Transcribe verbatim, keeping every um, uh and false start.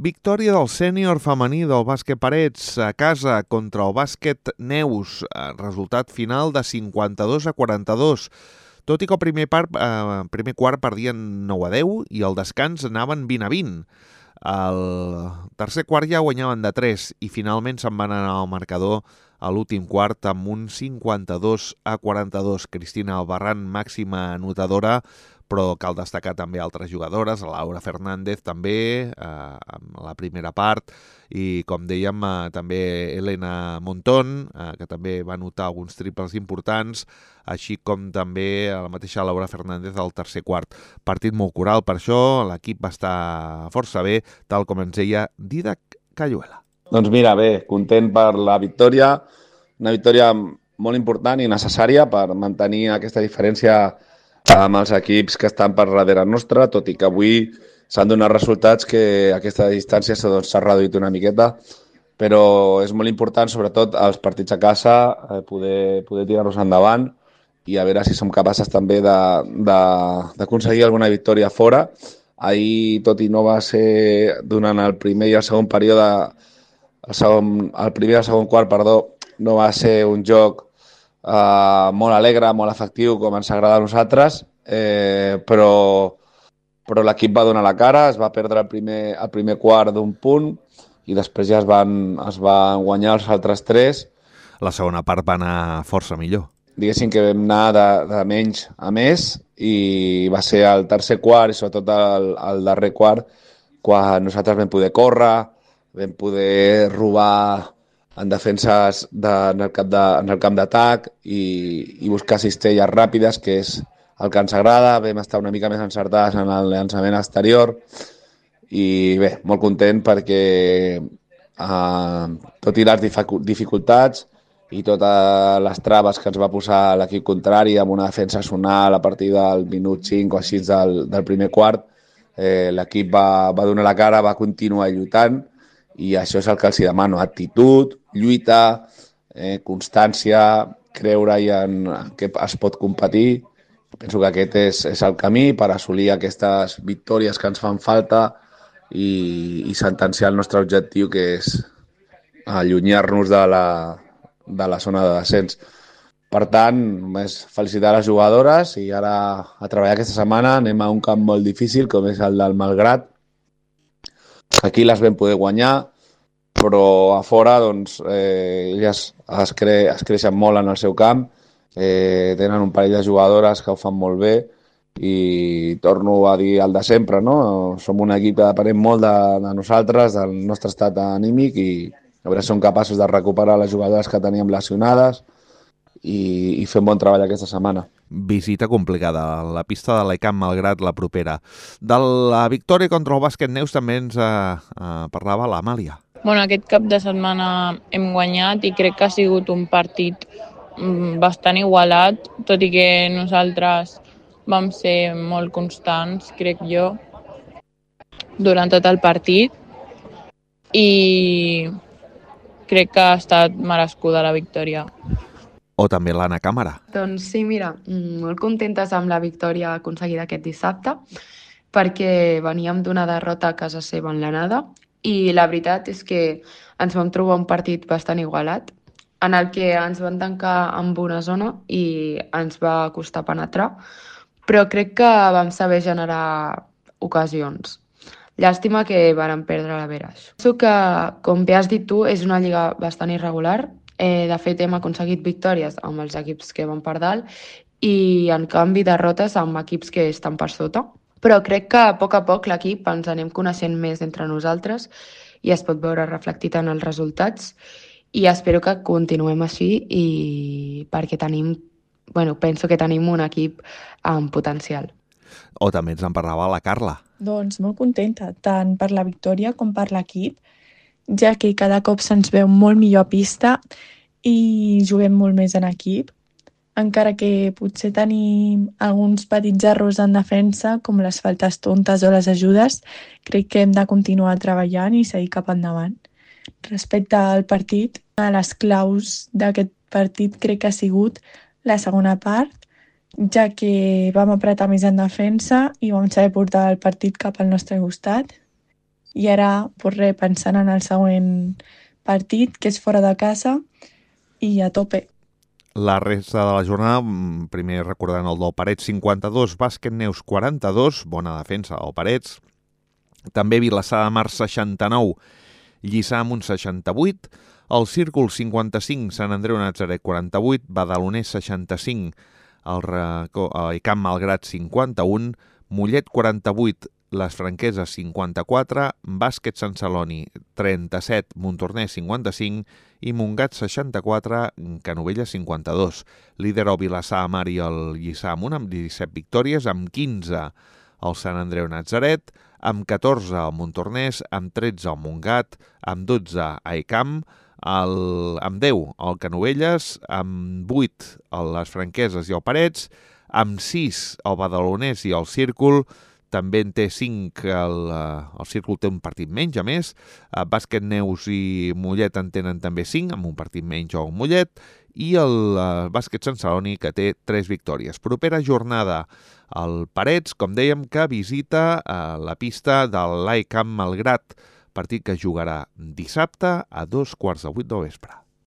Victòria del sènior femení del bàsquet Parets a casa contra el bàsquet Neus. Resultat final de cinquanta-dos a quaranta-dos. Tot i que el primer, part, eh, primer quart perdien nou a deu i el descans anaven vint a vint. El tercer quart ja guanyaven de tres i finalment se'n van anar al marcador a l'últim quart amb un cinquanta-dos a quaranta-dos. Cristina Albarrán, màxima anotadora, però cal destacar també altres jugadores, Laura Fernández també, eh, en la primera part, i com dèiem, eh, també Elena Montón, eh, que també va anotar alguns triples importants, així com també la mateixa Laura Fernández al tercer quart. Partit molt coral, per això l'equip va estar força bé, tal com ens deia Didac Cayuela. Doncs mira, bé, content per la victòria, una victòria molt important i necessària per mantenir aquesta diferència amb els equips que estan per darrere nostra, tot i que avui s'han donat resultats que aquesta distància s'ha doncs, reduït una miqueta, però és molt important, sobretot als partits a casa, eh, poder, poder tirar-nos endavant i a veure si som capaces també d'aconseguir alguna victòria fora. Ahir, tot i no va ser durant el primer i el segon període, el, segon, el primer i el segon quart, perdó, no va ser un joc Uh, molt alegre, molt efectiu, com ens agrada a nosaltres, eh, però, però l'equip va donar la cara, es va perdre el primer, el primer quart d'un punt i després ja es van, es van guanyar els altres tres. La segona part va anar força millor. Diguéssim que vam anar de, de menys a més i va ser el tercer quart i sobretot el, el darrer quart quan nosaltres vam poder córrer, vam poder robar en defenses de, en el camp de, en el camp d'atac i, i buscar cistelles ràpides, que és el que ens agrada. Vam estar una mica més encertats en el llançament exterior i bé, molt content perquè eh, tot i les dificultats i totes les traves que ens va posar l'equip contrari amb una defensa sonal a partir del minut cinc o així del, del primer quart, eh, l'equip va, va donar la cara, va continuar lluitant i això és el que els demano, actitud, lluita, eh, constància, creure-hi en, en què es pot competir. Penso que aquest és, és el camí per assolir aquestes victòries que ens fan falta i, i sentenciar el nostre objectiu, que és allunyar-nos de la, de la zona de descens. Per tant, només felicitar les jugadores i ara a treballar aquesta setmana anem a un camp molt difícil com és el del Malgrat. Aquí les vam poder guanyar, però a fora doncs, eh, elles es, cre es creixen molt en el seu camp, eh, tenen un parell de jugadores que ho fan molt bé i torno a dir el de sempre, no? Som un equip que depenem molt de, de nosaltres, del nostre estat anímic i a veure si som capaços de recuperar les jugadores que teníem lesionades i, i fer un bon treball aquesta setmana. Visita complicada, la pista de l'Ecamp Malgrat la propera. De la victòria contra el bàsquet Neus també ens eh, eh, parlava l'Amàlia. Bueno, aquest cap de setmana hem guanyat i crec que ha sigut un partit bastant igualat, tot i que nosaltres vam ser molt constants, crec jo, durant tot el partit i crec que ha estat merescuda la victòria. O també l'Anna Càmera. Doncs sí, mira, molt contentes amb la victòria aconseguida aquest dissabte, perquè veníem d'una derrota a casa seva en l'anada i la veritat és que ens vam trobar un partit bastant igualat, en el que ens van tancar amb una zona i ens va costar penetrar, però crec que vam saber generar ocasions. Llàstima que vàrem perdre la Veraix. Penso que, com bé has dit tu, és una lliga bastant irregular. Eh, de fet, hem aconseguit victòries amb els equips que van per dalt i, en canvi, derrotes amb equips que estan per sota. Però crec que a poc a poc l'equip ens anem coneixent més entre nosaltres i es pot veure reflectit en els resultats i espero que continuem així i perquè tenim, bueno, penso que tenim un equip amb potencial. O també ens en parlava la Carla. Doncs molt contenta, tant per la victòria com per l'equip, ja que cada cop se'ns veu molt millor a pista i juguem molt més en equip, encara que potser tenim alguns petits errors en defensa, com les faltes tontes o les ajudes, crec que hem de continuar treballant i seguir cap endavant. Respecte al partit, una de les claus d'aquest partit crec que ha sigut la segona part, ja que vam apretar més en defensa i vam saber portar el partit cap al nostre costat. I ara, pues res, pensant en el següent partit, que és fora de casa, i a tope. La resta de la jornada, primer recordant el del Parets cinquanta-dos, Bàsquet Neus quaranta-dos, bona defensa del Parets. També Vilassar de Mar seixanta-nou, Lliçà Amunt seixanta-vuit, el Círcul cinquanta-cinc, Sant Andreu Natzaret quaranta-vuit, Badalonès seixanta-cinc, el Icam Malgrat cinquanta-un, Mollet quaranta-vuit, Les Franqueses cinquanta-quatre, Bàsquet Sant Celoni trenta-set, Montornès cinquanta-cinc i Montgat seixanta-quatre, Canovelles cinquanta-dos. Líder el Vilassar de Mar i el Lliçà Amunt amb disset victòries, amb quinze el Sant Andreu Natzaret, amb catorze el Montornès, amb tretze el Montgat, amb dotze a Icam, el, amb deu el Canovelles, amb vuit les Franqueses i el Parets, amb sis el Badalonès i el Círcul, també en té cinc, el, el Círcul té un partit menys, a més, Bàsquet Neus i Mollet en tenen també cinc, amb un partit menys o un Mollet, i el Bàsquet Sant Celoni, que té tres victòries. Propera jornada, el Parets, com dèiem, que visita la pista del l'Icam Malgrat, partit que jugarà dissabte a dos quarts de vuit del vespre.